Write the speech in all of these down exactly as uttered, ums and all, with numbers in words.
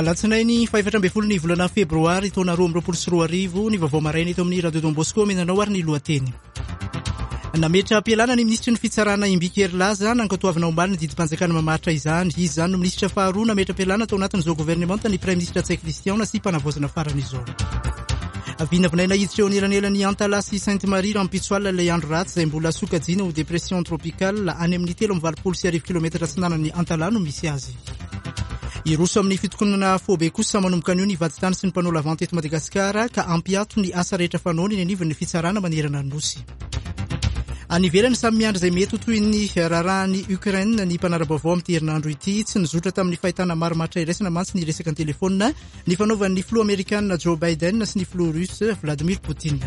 Alatsinainy fahefatra ambin'ny folo ny volana febroary taona roa amby roapolo sy roa arivo ny vaovao maraina eto amin'ny Radio Don Bosco omenanao ary ny lohateny. Nametra-pialana ny minisitry ny fitsarana Imbiki Herilaza, nankatoavina omaly ny didim-panjakana mamaritra izany. Izy izany no minisitra faharoa nametra-pialana tao anatin'izao governemanta ny Praiminisitra Ntsay Christian nasiam-panavaozana farany izao. Vinavinaina hiditra eo anelanelan'i Antalaha sy Sainte Marie rahampitso alina ilay andro ratsy izay mbola sokajiana ho dépression tropicale any amin'ny telo amby valopolo sy arivo kilometatra atsinanan'i Antalaha no misy azy. Hiroso amin'ny fitokonana faobe kosa manomboka anio ny vadintany sy ny mpanao lavanty eto Madagasikara ka hampiato ny asa rehetra fanaony eny anivon'ny fitsarana manerana ny Nosy. Any ivelany, samy miandry izay mety ho toy ny raharahan'i Ukraine ny mpanara-baovao amin'ity herinandro ity. Tsy nizotra tamin'ny fahitana marimaritra iraisana mantsy ny resaka an-telefônina nifanaovan'ny filoha amerikana Joe Biden sy ny filoha russe Vladimir Poutine.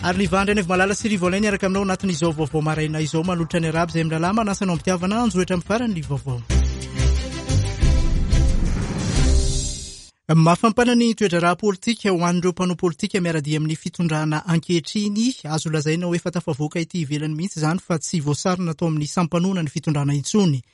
Ary ny Vandry Malala sy Rivo Alain niaraka aminao anatin'izao vaovao maraina izao, manolotra ny araby izay mirahalahy manasa anao am-pitiavana anjohitra amin'ny farany ny vaovao. Mafampana ny toe-draharaha politika ho an'ireo mpanao politika miara-dia amin'ny fitondrana ankehitriny. Azo lazaina ho efa tafavoaka ity ivelany mihitsy izany fa tsy voasarona tao amin'ny sampanoana ny fitondrana intsony.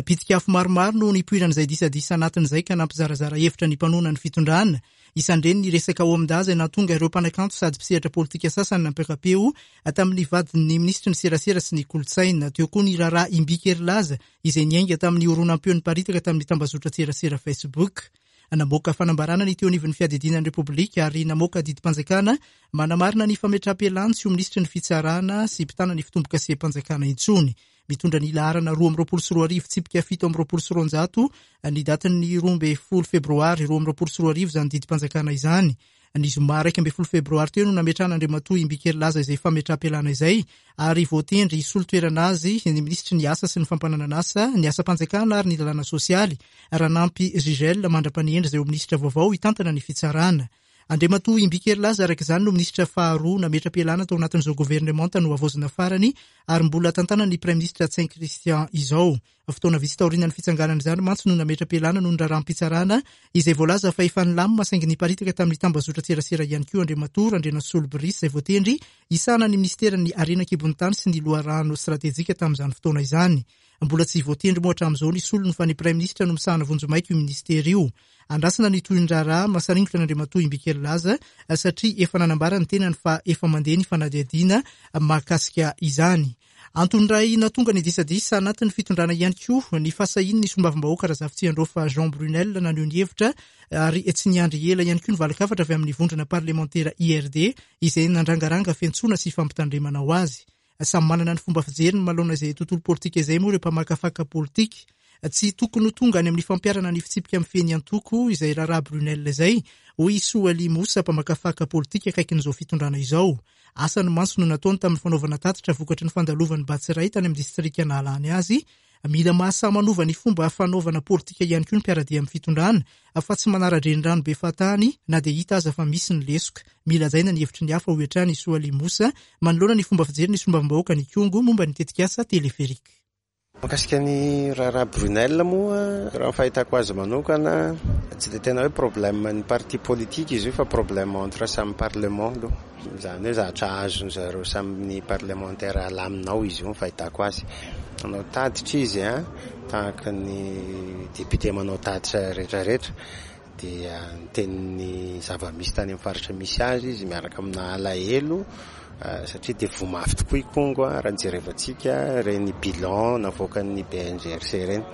Pitik'afo maromaro no nipoiran'izay disadisa anatin'izay ka nampizarazara hevitra ny mpanohana ny fitondrana. Isan'ireny ny resaka OMDA izay nahatonga ireo mpanakanto sady mpisehatra politika sasany nampiaka-peo tamin'ny vadin'ny minisitry ny serasera sy ny kolontsaina. Teo koa ny raharaha Imbiki Herilaza izay niainga tamin'ny horonam-peo niparitaka tamin'ny tambazotran-tserasera Facebook. Namoaka fanambarana ny teo anivon'ny fiadidiana ny Repoblika ary namoaka didim-panjakana manamarina ny fametraham-pialany tsy ho minisitry ny fitsarana sy mpitana ny fitombokasem-panjakana intsony. Mitondra ny laharana roa amby roapolo sy roa arivo tsipika fito amby roapolo sy roanjato ny datin'ny roa ambin'ny folo febroary roa amby roapolo sy roa arivo izany didim-panjakana izany. Ny zoma iraika ambin'ny folo febroary teo no nametrahana Andriamatoa Imbiki Herilaza izay fametraham-pialana izay ary voatendry hisolo toerana azy ny minisitry ny asa sy ny fampananana asa, ny asam-panjakana ary ny lalàna sosialy, Ranampy Jigel, mandra-panendry izay ho minisitra vaovao hitantana ny fitsarana. Andriamatoa Imbiki Herilaza araka izany no minisitra faharoa nametra-pialana tao anatin'izao governemanta nohavaozina farany ary mbola tantanan'ny Praiminisitra Ntsay Christian izao. Fotoana vitsy taorian'ny fitsanganana izany mantsy no nametra-pialana noho ny raharaham-pitsarana izay voalaza fa efa nilamina saingy niparitaka tamin'ny tambazotran-tserasera ihany koa Andriamatoa Randrianasolo Brice izay voatendry hisahana ny minisiteran'ny harena an-kibon'ny tany sy ny loharano stratejika tamin'izany fotoana izany. Mbola tsy voatendry moa hatramin'izao ny solony fa ny Praiminisitra no misahana vonjimaika io ministera io. Andrasana ny tohin'ny raharaha mahasaringotra an'Andriamatoa Imbiki Herilaza satria efa nanambara ny tenany fa efa mandeha ny fanadihadiana mahakasika izany. Antony iray nahatonga ny disadisa anatin'ny fitondrana ihany koa ny fahasahian'ny solombavambahoaka Razafitsiandraofa Jean Brunel naneho ny hevitra ary tsy niandry ela ihany koa ny valin-kafatra avy amin'ny vondrona parlemantera I R D izay nandrangaranga fiantsoana sy fampitandremana ho azy. Samy manana ny fomba fijeriny manoloana izay tontolo politika izay moa ireo mpamakafaka politika. Tsy tokony ho tonga any amin'ny fampiharana ny fitsipika mifehy ny antoko izay raharaha Brunel izay, hoy i Soali Moussa, mpamakafaka politika akaikin'izao fitondrana izao. Asa ny mantsy no nataony tamin'ny fanaovana tatitra vokatry ny fandalovan'ny Batsiray tany amin'ny distrika nahalany azy. Mila mahasahy manova ny fomba fanaovana politika ihany koa ny mpiara-dia amin'ny fitondrana fa tsy manara-drenirano be fahatany na dia hita aza fa misy ny lesoka. Mila hajaina ny hevitry ny hafa hoy hatrany i Soali Moussa manoloana ny fomba fijery ny solombavambahoaka ny Kongo momba ny tetikasa téléphérique. Mahakasika ny raharaha Brunel moa, raha ny fahitako azy manokana, tsy dia tena hoe problème ny parti politique izy io fa problème entre samy parlement aloha. Izany hoe zavatra azony zareo samy parlementaire alamina ao izy io ny fahitako azy. Manao tatitra izy a, tahaka ny député manao tatitra rehetrarehetra, dia niteny ny zava-misy tany amin'ny faritra misy azy izy miaraka amina alahelo, satria dia voa mafy tokoa i Kongo a, raha nijerevantsika ireny bilan navoakan'ny B N G R C ireny.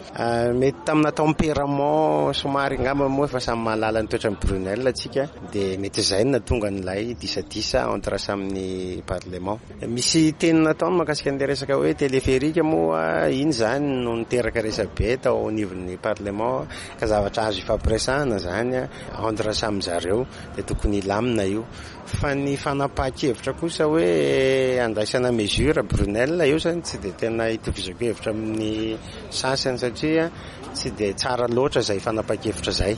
Mety tamina tempérament somary angamba moa efa samy mahalala ny toetran'i Brunel atsika, dia mety izay no nahatonga an'ilay disadisa entre samy parlement. Misy teny nataony mahakasika an'ilay resaka hoe téléphérique moa, iny izany no niteraka resabe tao anivon'ny parlement, ka zavatra azo ifampiresahana izany entre samy zareo, dia tokony hilamina io. Fa ny fanapahan-kevitra kosa hoe andraisana mesure Brunel io izany tsy dia tena itovizako hevitra amin'ny sasany satria tsy dia tsara loatra izay fanapahan-kevitra izay.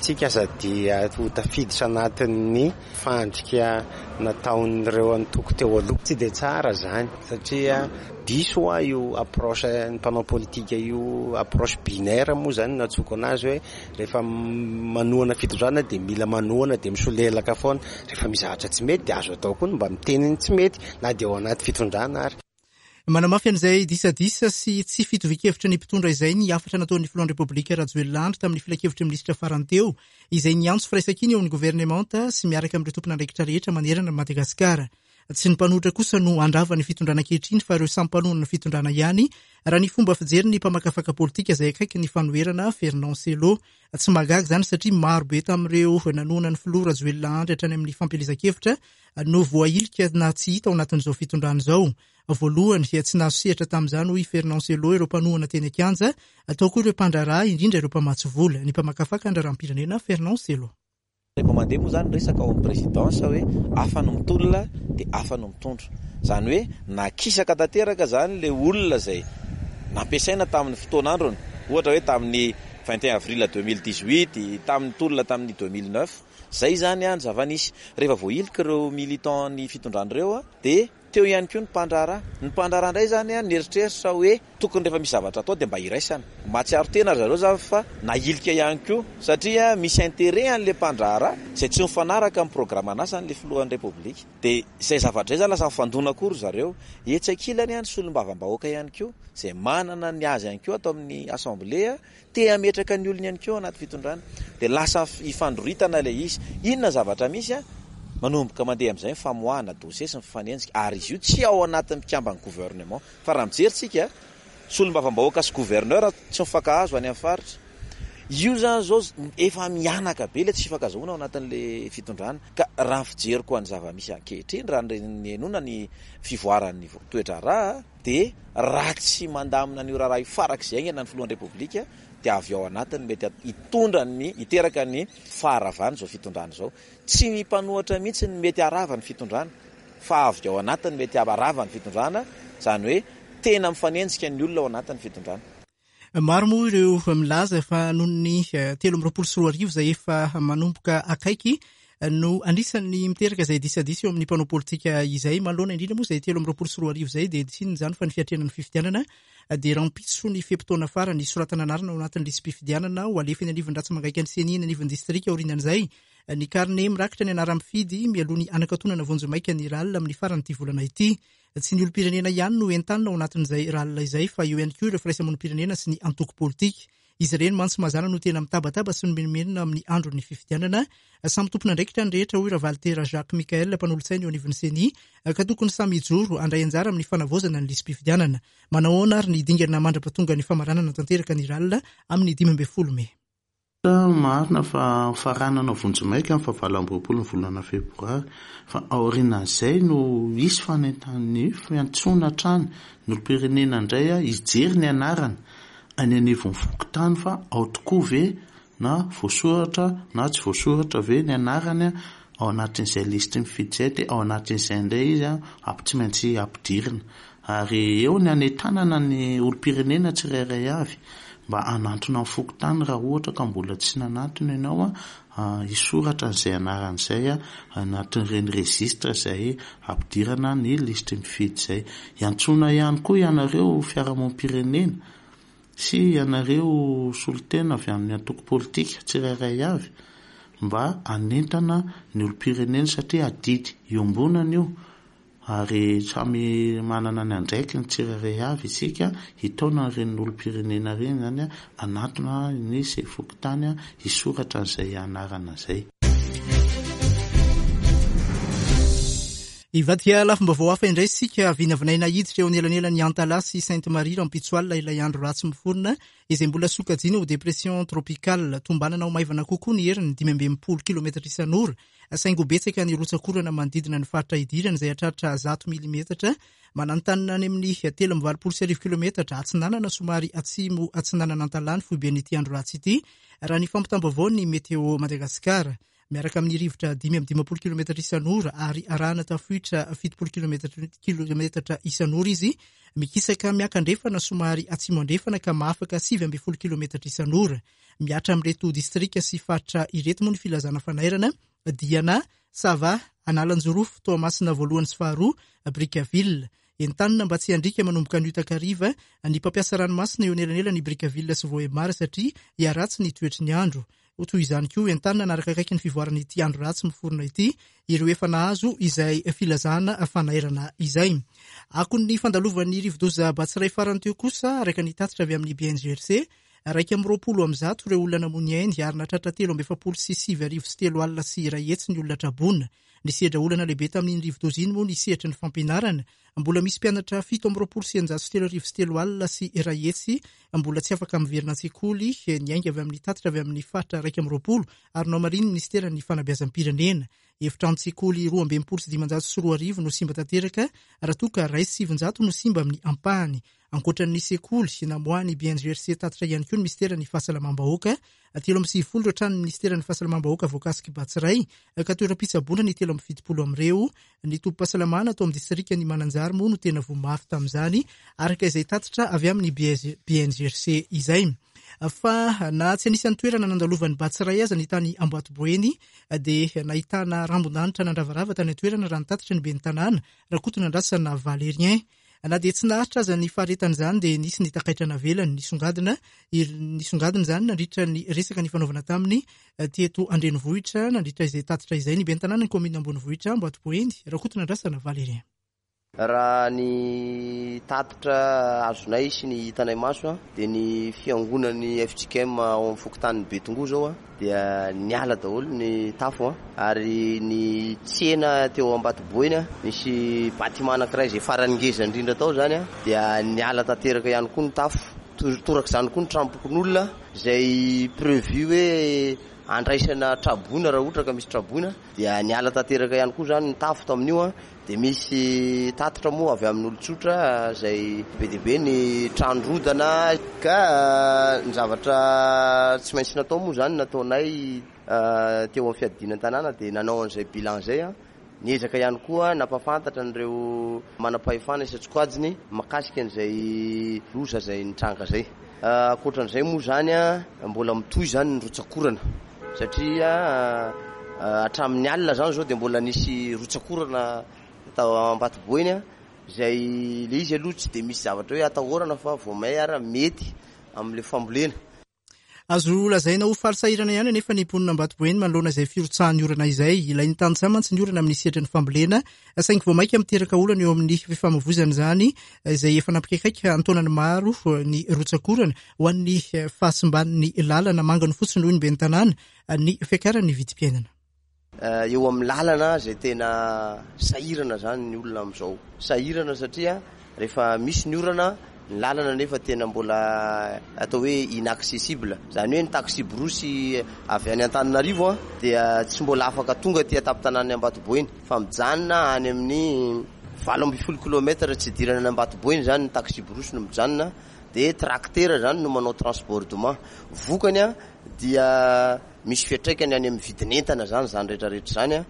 Tsika aza dia ho tafiditra anatin'ny fandrika nataon'ireo antoko teo aloha. Tsy dia tsara izany satria diso hoa io approche ny mpanao politika io, approche binaire moa izany no antsoiko anazy hoe rehefa manohana fitondrana dia mila manohana dia misolelaka foana. Rehefa misy zavatra tsy mety dia azo atao koa ny mba miteny ny tsy mety na dia ao anaty fitondrana ary. Manamafy an'izay disadisa sy tsy fitovian-kevitra ny mpitondra izay ny hafatra nataon'ny filohan'ny Repoblika Rajoelina Andry tamin'ny filankevitry ny minisitra farany teo, izay niantso firaisankina eo amin'ny governemanta sy miaraka amin'ireo tompon'andraikitra rehetra manerana Madagasikara. Tsy ny mpanohitra kosa no handrava ny fitondrana ankehitriny fa ireo samy mpanohana ny fitondrana ihany, raha ny fomba fijery ny mpamakafaka politika izay akaiky ny fanoherana Fernand Cello. Tsy mahagaga izany satria maro be tamin'ireo nanohana ny filoha Rajoelina Andry hatrany amin'ny fampielezan-kevitra no voahilika na tsy hita ao anatin'izao fitondrana izao. Voalohany, tsy nahazo sehatra tamin'izany hoy Fernand Cello ireo mpanohana teny an-kianja, atao koa ireo mpandraharaha, indrindra ireo mpamatsy vola. Ny mpamakafaka ny raharaham-pirenena Fernand Cello. Rehefa mandeha moa izany resaka ao amin'ny présidence hoe hafa no mitolona dia hafa no mitondra. Izany hoe nakisaka tanteraka izany ilay olona izay nampiasaina tamin'ny fotoan'androny, ohatra hoe tamin'ny vingt et un avril deux mille dix-huit, tamin'ny tolona tamin'ny deux mille neuf. Izay izany ny zava-nisy. Rehefa voahilika ireo militant ny fitondrana ireo dia teo ihany koa ny mpandraharaha. Ny mpandraharaha indray izany nieritreritra hoe tokony rehefa misy zavatra atao dia mba iraisana. Mahatsiaro tena ry zareo izany fa nahilika ihany koa satria misy intérêt an'ilay mpandraharaha izay tsy mifanaraka amin'ny programan'asan'ilay filohan'ny Repoblika. Dia izay zavatra izay izany lasa mifandona koa ry zareo. Etsy ankilany ny solombavambahoaka ihany koa izay manana ny azy ihany koa ato amin'ny assemblée te hametraka ny olony ihany koa anaty fitondrana. Dia lasa ifandroritana ilay izy. Inona zavatra misy a? Manomboka mandeha amin'izay ny famoahana dossier sy ny fifanenjika, ary izy io tsy ao anatin'ny mpikamban'ny gouvernement. Fa raha mijery tsika, solombavambahoaka sy gouverneur tsy mifankahazo any amin'ny faritra. Io zany zao efa mihanaka be ilay tsy fifankazahoana ao anatin'ilay fitondrana. Ka raha ny fijeriko an'ny zava-misy ankehitriny, raha ny henoina ny fivoaran'ny toe-draharaha, dia raha tsy mandamina an'io raharaha io farak'izay haingana ny filohan'ny Repoblika, dia avy ao anatiny mety hitondra ny, hiteraka ny faharavana izao fitondrana izao. Tsy ny mpanohitra mihitsy ny mety harava ny fitondrana, fa avy ao anatiny mety harava ny fitondrana, izany hoe tena mifanenjika ny olona ao anatin'ny fitondrana. Maro moa ireo milaza fa noho ny telo amby roapolo sy roa arivo izay efa manomboka akaiky no anisan'ny miteraka izay disadisa eo amin'ny mpanao politika izay. Manoloana indrindra moa izay telo amby roapolo sy roa arivo izay dia tsy inona izany fa ny fiatrehana ny fifidianana dia rahampitso ny fe-potoana farany soratana anarana ao anatin'ny lisi-pifidianana ho alefa eny anivon'ny ratsa-mangaika ny CENI eny anivon'ny distrika aorianan'izay. Ny karne mirakitra ny anaran'ny mpifidy mialoha ny anakatonana vonjimaika ny R A L amin'ny faran'ity volana ity. Tsy ny olom-pirenena ihany no entanina ao anatin'izay R A L izay fa eo ihany koa ireo firaisamonim-pirenena sy ny antoko politika. Izy ireny mantsy mazàna no tena mitabataba sy nomenomenona amin'ny andron'ny fifidianana. Samy tompon'andraikitra ny rehetra hoy Ravalitera Jacques Michael mpanolotsaina eo anivon'ny CENI ka tokony samy hijoro handray anjara amin'ny fanavaozana ny lisi-pifidianana. Manao ahoana ary ny dingana mandra-pahatonga ny famaranana tanteraka ny R A L amin'ny dimy ambin'ny folo mey. Marina fa faranana vonjimaika amin'ny fahavalo amby roapolo ny volana febroary, fa aorianan'izay no hisy fanentan'ny fiantsoana hatrany ny olom-pirenena indray hijery ny anarana any anivon'ny fokontany fa ao tokoa ve na voasoratra na tsy voasoratra ve ny anarany ao anatin'izay lisitry ny mifidy izay, dia ao anatin'izay indray izy ampy tsy maintsy ampidirina. Ary eo ny hanentanana ny olom-pirenena tsirairay avy mba hanantona ny fokontany raha ohatra ka mbola tsy nanantona ianao hisoratra an'izay anarana izay anatin'ireny registre izay ampidirana ny lisitry ny mifidy izay. Iantsoana ihany koa ianareo fiarahamonim-pirenena sy ianareo solontena avy amin'ny antoko politika tsirairay avy mba hanentana ny olom-pirenena satria adidy iombonana io ary samy manana ny andraikiny tsirairay avy isika hitaona ireny olom-pirenena ireny zany hanantona ny fokontany hisoratra an'izay anarana izay. Hivadika lafim-baovao hafa indray isika. Vinavinaina hiditra eo anelanelan'ny Antalaha sy Sainte Marie rahampitso alina ilay andro ratsy miforona izay mbola sokajiana ho dépression tropicale. Tombanana ho maivana kokoa ny heriny dimy amby enimpolo kilometatra isan'ora, saingy ho betsaka ny rotsakorana manodidina ny faritra idirana izay hatratra zato milimetatra. Mananontanona any amin'ny telo amby valopolo sy arivo kilometatra atsinanana somary atsimo atsinanana Antalaha ny foiben'ity andro ratsy ity, raha ny fampitam-baovao ny Météo Madagasikara. Miaraka amin'ny rivotra dimy amby dimampolo kilometatra isan'ora ary arahana tafiotra fitopolo kilometatra isan'ora izy, mikisaka miakandrefana somary atsimo andrefana ka mahafaka sivy ambin'ny folo kilometatra isan'ora. Mihatra amin'ireto distrika sy faritra ireto moa ny filazana fanairana: Diana, Sava, Analanjirofo, Toamasina voalohany sy faharoa, Brickaville. Entanina mba tsy handrika manomboka ny takariva ny mpampiasa ranomasina eo anelanelan'ny Brickaville sy Vohemar satria hiharatsy ny toetry ny andro. Ho toy izany koa, entanina hanaraka akaiky ny fivoaran'ity andro ratsy miforona ity ireo efa nahazo izay filazana fanairana izay. Akon'ny fandalovan'ny rivodoza Batsiray farany teo kosa, araka ny tatitra avy amin'ny B N G R C, iraika amby roapolo amby zato ireo olona namoy ainy ary nahatratra telo amby efapolo sy sivy arivo sy telo alina sy iray hetsy ny olona traboina. Nisedra olana lehibe tamin'iny rivodoza iny moa ny sehatry ny fampianarana. Mbola misy mpianatra fito amby roapolo sy eninjato sy telo arivo sy telo alina sy iray hetsy mbola tsy afaka miverina an-tsekoly, niainga avy amin'ny tatitra avy amin'ny faritra iraika amby roapolo ary nohamarinin'ny ministeran'ny fanabeazam-pirenena. Efitrano-tsekoly roa amby enimpolo sy dimanjato sy roa arivo no simba tanteraka, raha toa ka iray sy sivinjato no simba amin'ny ampahany. Ankoatra ny sekoly, namoahan'ny B N G R C tatitra ihany koa ny ministeran'ny fahasalamam-bahoaka. Telo amby sivifolo ireo tranon'ny ministeran'ny fahasalamam-bahoaka voakasiky Batsiray, ka toeram-pitsaboana ny telo amby fitopolo amin'ireo. Ny tobim-pahasalamana tao amin'ny distrikan'i Mananjary moa no tena voa mafy tamin'izany, araka izay tatitra avy amin'ny B N G R C izay. Fa na tsy anisan'ny toerana nandalovan'ny Batsiray aza ny tany Ambatoboeny, dia nahitana rambon-danitra nandravarava tany an-toerana raha nitatitra ny ben'ny tanàna Rakotonandrasana Valérien. Na dia tsy naharitra aza ny faharetan'izany dia nisy ny takaitra navelany nisongadina, nisongadina izany nandritra ny resaka nifanaovana taminy teto an-drenivohitra. Nandritra izay tatitra izay ny ben'ny tanàna ny kaominina ambonivohitra Ambatoboeny Rakotonandrasana Valérien. Raha ny tatitra azonay sy ny hitanay maso dia ny fiangonan'ny F J K M ao amin'ny fokontanin'i Betongoa zao dia niala daholo ny tafo ary ny tsena teo Ambatoboeny nisy bâtiment anankiray izay farany ngeza indrindra tao zany dia niala tanteraka ihany koa ny tafo. Torak'izany koa ny tranom-pokonolona izay prévu hoe andraisana traboina raha ohatra ka misy traboina dia niala tanteraka ihany koa zany ny tafo tamin'io. Dia misy tatitra moa avy amin'olon-tsotra izay be dia be ny trano rodana ka ny zavatra tsy maintsy natao moa zany nataonay teo amin'ny fiadiana an-tanàna dia nanao an'izay bilan izay. Niezaka ihany koa nampahafantatra an'ireo manam-pahefana isan-tsokajiny mahakasika an'izay loza izay nitranga izay. Ankoatran'izay moa zany mbola mitohy zany ny rotsakorana satria hatramin'ny alina zany zao dia mbola nisy rotsakorana tao Ambatoboeny izay le izy aloha tsy dia misy zavatra hoe atahorana fa vao may ara mety amin'ilay fambolena. Azo lazaina ho faly sahirana ihany anefa ny mponina Ambatoboeny manoloana izay firotsahan'ny orana izay. Ilain'ny tantsaha mantsy ny orana amin'ny sehatry ny fambolena, saingy vao mainka miteraka olana eo amin'ny fifamoivoizana izany izay efa nampikaikaika an-taonany maro ny rotsakorana ho an'ny fahasimban'ny lalana mangano fotsiny hoy ny ben'ny tanàna ny fiakaran'ny vidim-piainana. Eo amin'ny lalana izay tena sahirana zany ny olona amin'izao. Sahirana satria rehefa misy ny orana ny lalana nefa tena mbola atao hoe inaccessible. Zany hoe ny taxi-brousse avy any Antananarivo dia tsy mbola afaka tonga aty an-tampon-tanàn'ny Ambatoboeny fa mijanona any amin'ny valo amby folo kilomètre tsy idirana any Ambatoboeny zany ny taxi-brousse no mijanona, dia tracteur zany no manao transbordement. Vokany a dia misy fiantraikany any amin'ny vidin'entana zany zany rehetrarehetra zany a.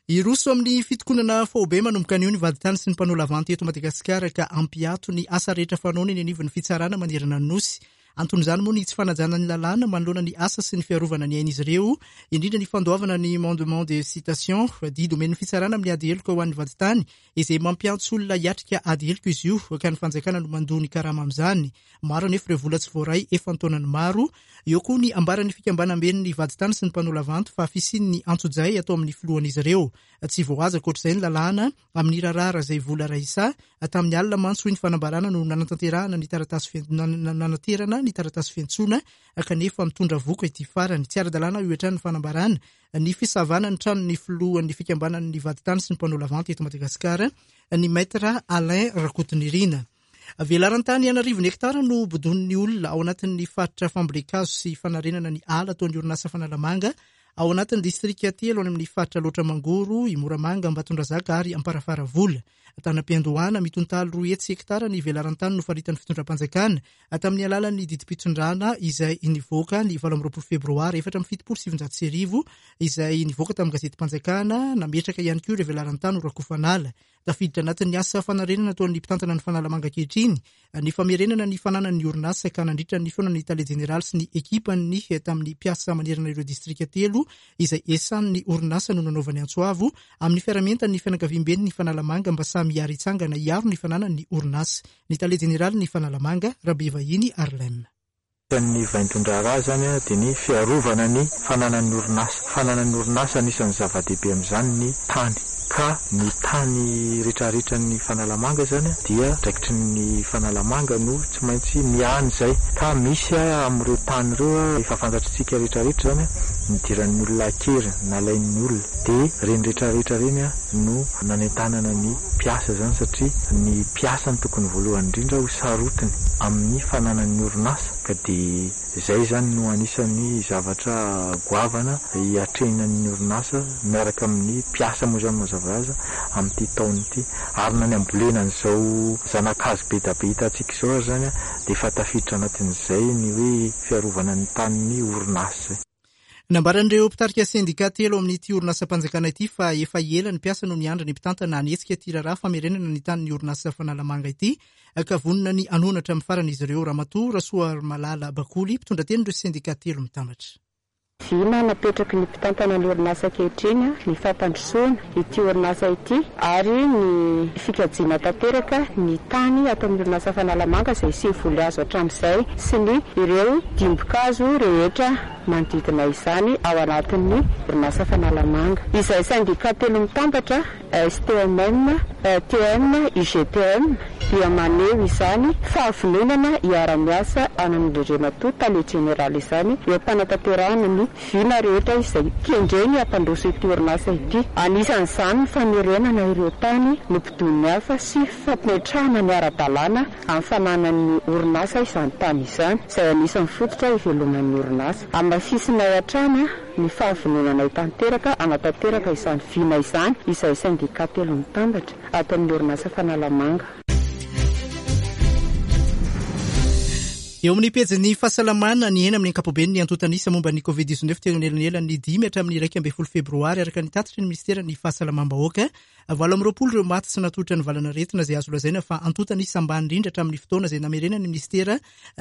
Hiroso amin'ny fitokonana faobe manomboka anio ny vadintany sy ny mpanao lavanty eto Madagasikara ka hampiato ny asa rehetra fanaony eny anivon'ny fitsarana manerana ny Nosy. Anton'izany moa ny tsy fanajana ny lalàna manoloana ny asa sy ny fiarovana ny ain'izy ireo, indrindra ny fandoavana ny mandement de citation, didy omen'ny fitsarana amin'ny ady heloka ho an'ny vadintany izay mampiantso olona hiatrika ady heloka izy io ka ny fanjakana no mandoa ny karama amin'izany. Maro anefa ireo vola tsy voaray efa an-taonany maro. Eo koa ny ambaran'ny fikambanamben'ny vadintany sy ny mpanao lavanty fa fisian'ny antsojay atao amin'ny filohan'izy ireo. Tsy voahaja ankoatr'izay ny lalàna amin'ny raharaha izay vola raisa. Tamin'ny alina mantsy hoy ny fanambarana no nanatanterahana ny taratasy fian-, nanaterana ny taratasy fiantsoana kanefa mitondra voka ity farany. Tsy ara-dalàna io hatrany ny fanambarana ny fisavana ny tranon'ny filohan'ny fikambanan'ny vadintany sy ny mpanao lavanty eto Madagasikara, ny maître Alain Rakotonirina. Velaran-tany an'arivony hektara no bodonin'ny olona ao anatin'ny faritra fambolen-kazo sy fanarenana ny ala ataon'ny orinasa Fanalamanga ao anatin'ny distrika telo any amin'ny faritra Alaotra Mangoro, i Moramanga, Ambatondrazaka ary Amparafaravola. Tanam-piandohana mitontaly roa hetsy hektara ny velaran-tany nofaritan'ny fitondram-panjakana tamin'ny alalan'ny didim-pitondrana izay nivoaka ny valo amby roapolo febroary efatra amby fitopolo sy sivinjato sy arivo izay nivoaka tamin'ny gazetim-panjakana. Nametraka ihany koa ireo velaran-tany ho rakofanala. Tafiditra anatin'ny asa fanarenana ataon'ny mpitantana ny Fanalamanga ankehitriny ny famerenana ny fananan'ny orinasa ka nandritra ny fihaonan'ny tale jeneraly sy ny ekipany tamin'ny mpiasa manerana ireo distrika telo izay esan'ny orinasa no nanaovany antso avo amin'ny fiarahamientan'ny fianakaviamben'ny Fanalamanga mba samy hiara-hitsangana hiaro ny fananan'ny orinasa. Ny tale jeneraly ny Fanalamanga, Rabevahiny Arlem. Ny vaindohan-draharaha izany dia ny fiarovana ny fananan'ny orinasa. Fananan'ny orinasa anisan'ny zava-dehibe amin'izany ny tany. Ka ny tany rehetrarehetra ny Fanalamanga izany dia andraikitry ny Fanalamanga no tsy maintsy miahany izay. Ka misy amin'ireo tany ireo efa fantatritsika rehetrarehetra izany nidiran'ny olona an-kery, nalain'ny olona. Dia ireny rehetrarehetra ireny no nanentanana ny mpiasa izany satria ny mpiasa no tokony voalohany indrindra ho sarotiny amin'ny fananan'ny orinasa. Ka dia izay izany no anisan'ny zavatra goavana hiatrehan'ny orinasa miaraka amin'ny mpiasa moa izany mazava azy amin'ity taona ity. Ary na ny ambolena an'izao zana-kazo be dia be hitantsika izao ary izany dia efa tafiditra anatin'izay ny hoe fiarovana ny tanin'ny orinasa. Nambaran'ireo mpitarika sendika telo amin'ity orinasam-panjakana ity fa efa ela ny mpiasa no niandry ny mpitantana hanetsika ity raharaha famerenana ny tanin'ny orinasa Fanalamanga ity ka vonona ny hanohana hatramin'ny farany izy ireo. Ramatoa Rasoarimalala Bakoly, mpitondra teny ireo sendika telo mitambatra. Vina napetraky ny mpitantana ny orinasa ankehitriny ny fampandrosoana ity orinasa ity ary ny fikajiana tanteraka ny tany ato amin'ny orinasa Fanalamanga izay sy voly azo hatramin'izay sy ny ireo dimbokazo rehetra manodidina izany ao anatin'ny orinasa Fanalamanga. Izay sendika telo mitambatra S T M M, T M, U G T M dia maneho izany fahavononana hiara-miasa amin'Andriamatoa Tale Jeneraly izany eo am-panatanterahana ny vina rehetra izay kendreny hampandroso ity orinasa ity. Anisan'izany ny famerenana ireo tany nobodoin'ny hafa sy fampimetrahana ny ara-dalàna amin'ny fananan'ny orinasa izany tany izany, izay anisan'ny fototra iveloman'ny orinasa. Hamafisinay hatrany ny fahavononanay tanteraka hanatanteraka izany vina izany izay sendika telo mitambatra ato amin'ny orinasa Fanalamanga. Eo amin'ny pejin'ny fahasalamana, ny ena amin'ny ankapobeny ny antontan'isa momba ny covid dix-neuf teo anelanelan'ny dimy hatramin'ny iraika ambin'ny folo febroary araka ny tatitry ny ministeran'ny fahasalamam-bahoaka. Valo amby roapolo ireo maty sy natolotra ny valanaretina izay azo lazaina fa antontan'isa ambany indrindra hatramin'ny fotoana izay namerenan'ny ministera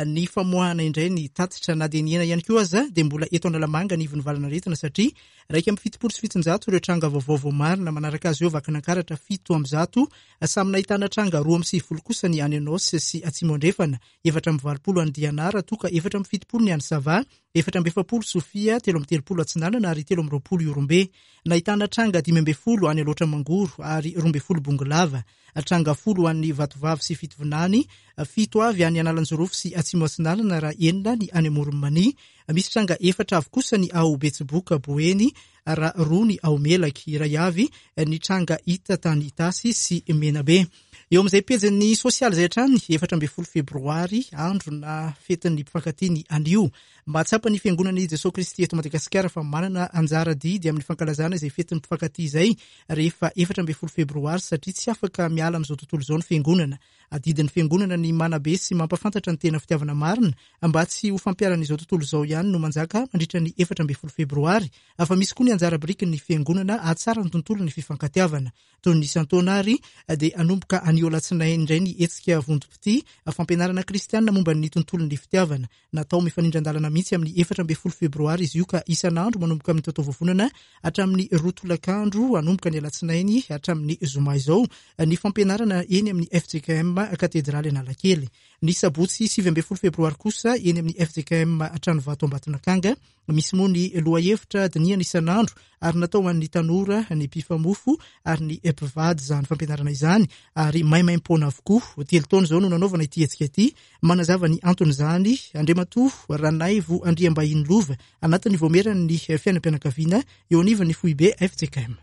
ny famoahana indray ny tatitra. Na dia nihena ihany koa aza dia mbola eto Analamanga ny ivon'ny valanaretina satria iraika amby fitopolo sy fitonjato ireo tranga vaovao voamarina, manaraka azy eo Vakinankaratra fito amby zato, samy nahitana tranga roa amby sivifolo kosa ny any Anôsy sy Atsimo Andrefana, efatra amby valopolo any Dianara, toka efatra amby fitopolo ny any Sava, efatra amby efapolo Sofia, telo amby telopolo Atsinanana ary telo amby roapolo Ihorombe. Nahitana tranga dimy amby folo any Alaotra Mangoro ary roa amby folo Bongolava, tranga folo ho an'ny Vatovavy sy Fitovinany, fito avy any Analanjirofo sy Atsimo Atsinanana raha enina ny any Amoron'i Mania. Misy tranga efatra avy kosa ny ao Betsiboka Boeny raha roa ny ao Melaky, iray avy ny tranga hita tany Itasy sy Menabe. Eo amin'izay pejin'ny sosialy izay hatrany, efatra ambin'ny folo febroary, andro na fetin'ny mpifankatia ny anio. Mahatsapa ny fiangonan'i Jesoa Kristy eto Madagasikara fa manana anjara didy amin'ny fankalazana izay fetin'ny mpifankatia izay rehefa efatra ambin'ny folo febroary satria tsy afaka miala amin'izao tontolo izao ny fiangonana. Adidin'ny fiangonana ny manabe sy mampafantatra ny tena fitiavana marina mba tsy ho fampiaran'izao tontolo izao ihany no manjaka mandritra ny efatra ambin'ny folo febroary, fa misy koa ny anjara birikin'ny fiangonana hahatsara ny tontolon'ny fifankatiavana. Toy ny isan-taona ary dia hanomboka anio alatsinainy indray ny hetsika vondrom-pitia fampianarana kristianina momba ny tontolon'ny fitiavana. Natao mifanindran-dalana mihitsy amin'ny efatra ambin'ny folo febroary izy io ka isan'andro manomboka amin'ny taotaovovonana hatramin'ny roa tolakandro hanomboka ny alatsinainy hatramin'ny zoma izao ny fampianarana eny amin'ny F J K M Katedraly Analakely. Ny sabotsy sivy ambin'ny folo febroary kosa eny amin'ny F J K M Tranovato Ambatonakanga. Misy moa ny lohahevitra dinihana isan'andro ary natao ho an'ny tanora, ny mpifamofo ary ny mpivady izany fampianarana izany ary maimaimpoana avokoa. Telo taona izao no nanaovana ity hetsika ity. Manazava ny anton'izany Andriamatoa Ranaivo Andriambahiny Lova anatin'ny voameran'ny fiainam-pianakaviana eo anivon'ny foibe F J K M.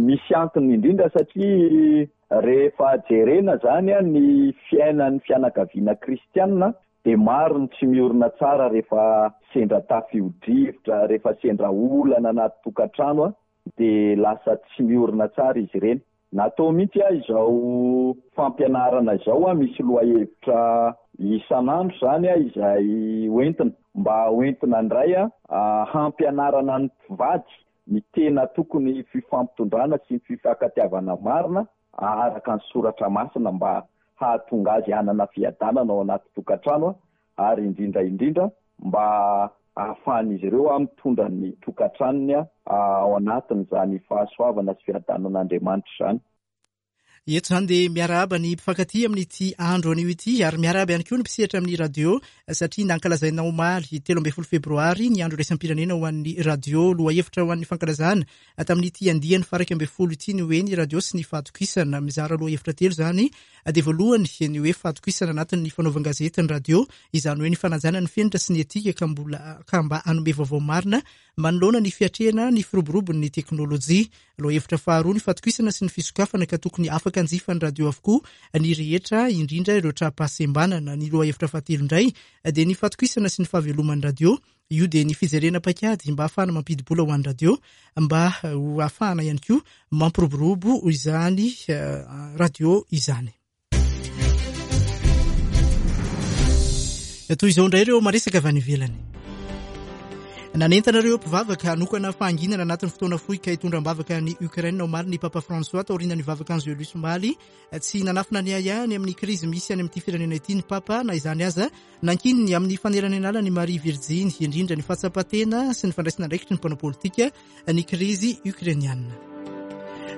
Misy antony indrindra satria rehefa jerena zany ny fiainan'ny fianakaviana kristianina dia maro ny tsy miorina tsara rehefa sendra tafio-drivotra, rehefa sendra olana anaty tokantrano dia lasa tsy miorina tsara izy ireny. Natao mihitsy aho izao fampianarana izao, misy lohahevitra isan'andro zany izay hoentina mba hoentina indray hampianarana ny mpivady ny tena tokony fifampitondrana sy ny fifankatiavana marina araka ny soratra masina mba hahatonga azy hanana fiadanana ao anaty tokantrano ary indrindra indrindra mba ahafahan'izy ireo mitondra ny tokantranony ao anatin'izany fahasoavana sy fiadanan'Andriamanitra izany. Eto izany dia miarahaba ny mpifankatia amin'ity andro anio ity ary miarahaba ihany koa ny mpisehatra amin'ny radio satria nankalazaina omaly telo ambin'ny folo febroary ny andro iraisam-pirenena ho an'ny radio. Lohahevitra ho an'ny fankalazana tamin'ity andiany faha iraika ambin'ny folo ity ny hoe ny radio sy ny fahatokisana. Mizara lohahevitra telo izany, dia voalohany ny hoe fahatokisana anatin'ny fanaovan-gazety ny radio, izany hoe ny fanajana ny fenitra sy ny etika ka mbola ka mba hanome vaovao marina manoloana ny fiatrehana ny firoborobon'ny teknôlôjia. Lohahevitra faharoa ny fahatokisana sy ny fisokafana ka tokony afaka hanjifa ny radio avokoa ny rehetra, indrindra ireo tra-pahasembanana. Ny lohahevitra fahatelo indray dia ny fahatokisana sy ny fahaveloman'ny radio. Io dia ny fijerena paikady mba ahafahana mampidi-bola ho an'ny radio, mba ho ahafahana ihany koa mampiroborobo izany radio izany. Toy izao indray ireo maresaka avy any ivelany. Nanentana ireo mpivavaka hanokana fahanginana anatin'ny fotoana fohy ka hitondra am-bavaka ny Ukraine omaly ny Papa François taorian'ny vavaka Angelus omaly. Tsy nanafina ny ahiahiny amin'ny krizy misy any amin'ity firenena ity ny Papa, na izany aza nankininy amin'ny faneranenala ny Maria Virjiny, indrindra ny fahatsapatena sy ny fandraisana andraikitry ny mpanao politika ny krizy ukrainiana.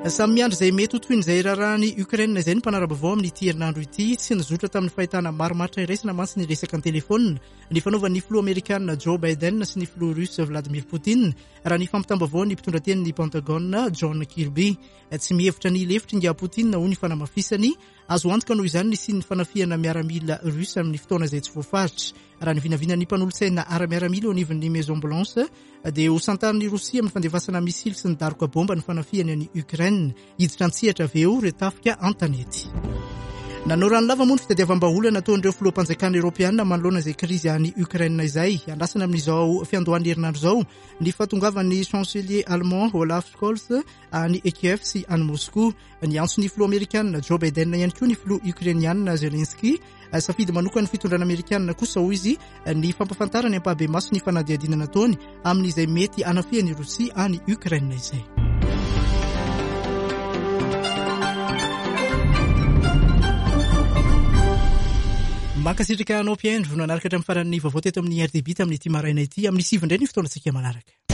Samy miandry izay mety ho tohin'izay raharahan'i Ukraine izay ny mpanara-baovao amin'ity herinandro ity. Tsy nizotra tamin'ny fahitana marimaritra iraisana mantsy ny resaka an-telefaonina ny fanaovan'ny filoha amerikana Joe Biden sy ny filoha russe Vladimir Poutine, raha ny fampitam-baovao ny mpitondra tenin'ny Pentagone John Kirby. Tsy mihevitra ny lefitry nga Poutine ho ny fanamafisany. Azo antoka noho izany ny sin'ny fanafihana miaramila russe amin'ny fotoana izay tsy voafaritra. Raha ny vinavinan'ny mpanolotsaina ara-miaramila eo anivon'ny Maison Blanche dia ho santarin'i Rosia amin'ny fandefasana misily sy ny daroka bomba ny fanafihany any Ukraine. Hiditra an-tsehatra avy eo ireo tafika an-tanety. Nanao rano lava moa ny fitadiavam-bahaolana nataon'ireo filoham-panjakana eoropeana manoloana izay krizy any Ukraine izay. Andrasana amin'izao fiandohan'ny herinandro izao ny fahatongavan'ny chancelier allemand Olaf Scholz any Kiev sy any Moscou. Niantso ny filoha amerikana Joe Biden ihany koa ny filoha ukrainiana Zelensky. Safidy manokana ny fitondrana amerikana kosa hoy izy ny fampahafantarany ampahibemaso ny fanadihadiana nataony amin'izay mety hanafihan'i Rosia any Ukraine izay. Mankasitraka anao mpihaino nanaraka hatramin'ny faran'ny vaovao teto amin'ny R T B tamin'ity maraina ity. Amin'ny sivy indray ny fotoanantsika manaraka.